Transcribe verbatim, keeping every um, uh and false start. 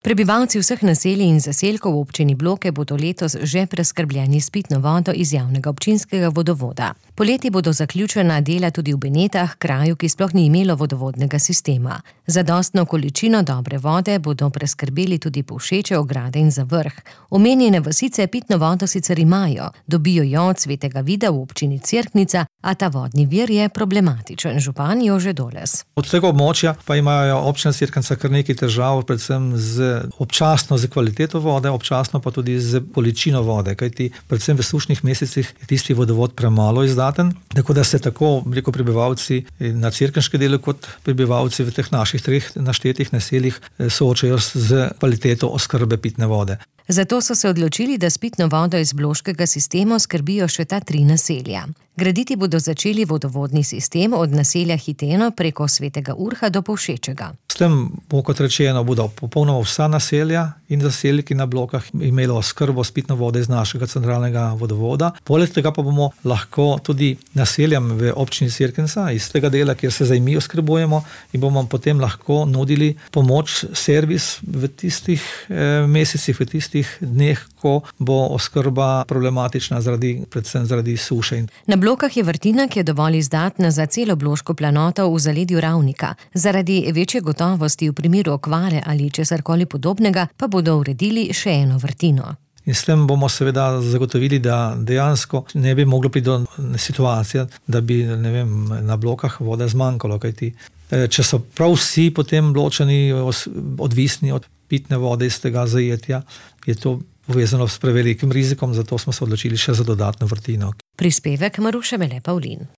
Prebivalci vseh naselij in zaselkov v občini Bloke bodo letos že preskrbljeni s pitno vodo iz javnega občinskega vodovoda. Poleti bodo zaključena dela tudi v Benetah, kraju, ki sploh ni imelo vodovodnega sistema. Zadostno količino dobre vode bodo preskrbeli tudi Povšeče, Ograde in Zavrh. Omenjene vasice pitno vodo sicer imajo, dobijo jo od Svetega Vida v občini Cerknica, a ta vodni vir je problematičen. Župan Jože Doles. Od tega območja pa imajo občina Cerknica kar nekaj težav, predvsem z občasno z kvaliteto vode, občasno pa tudi z količino vode, kajti predvsem v sušnih mesecih je tisti vodovod premalo izdaten, tako da se tako, rekel, prebivalci na cerkniškem delu kot prebivalci v teh naših treh naštetih naseljih soočajo z kvaliteto oskrbe pitne vode. Zato so se odločili, da s pitno vodo iz bloškega sistema skrbijo še ta tri naselja. Graditi bodo začeli vodovodni sistem od naselja Hiteno preko Svetega Urha do Povšečega. S tem bo, kot rečeno, bodo popolnoma vsa naselja in zaselki na Blokah imelo oskrbo s pitno vodo iz našega centralnega vodovoda. Poleg tega pa bomo lahko tudi naseljam v občini Cerknica iz tega dela, kjer se zdaj mi oskrbujemo, in bomo potem lahko nudili pomoč, servis v tistih eh, mesecih, v tistih dneh, ko bo oskrba problematična zaradi, predvsem zaradi suše. Na Blokah je vrtina, ki je dovolj izdatna za celo bloško planoto v zaledju Ravnika. Zaradi večje gotovosti v primeru okvare ali česarkoli podobnega pa bodo uredili še eno vrtino. In s tem bomo seveda zagotovili, da dejansko ne bi moglo priti do situacije, da bi, ne vem, na Blokah vode zmanjkalo, kajti če so prav vsi potem Bločani odvisni od pitne vode iz tega zajetja, je to povezano s prevelikim rizikom, zato smo se odločili še za dodatno vrtino. Prispevek Maruše Mele Pavlin.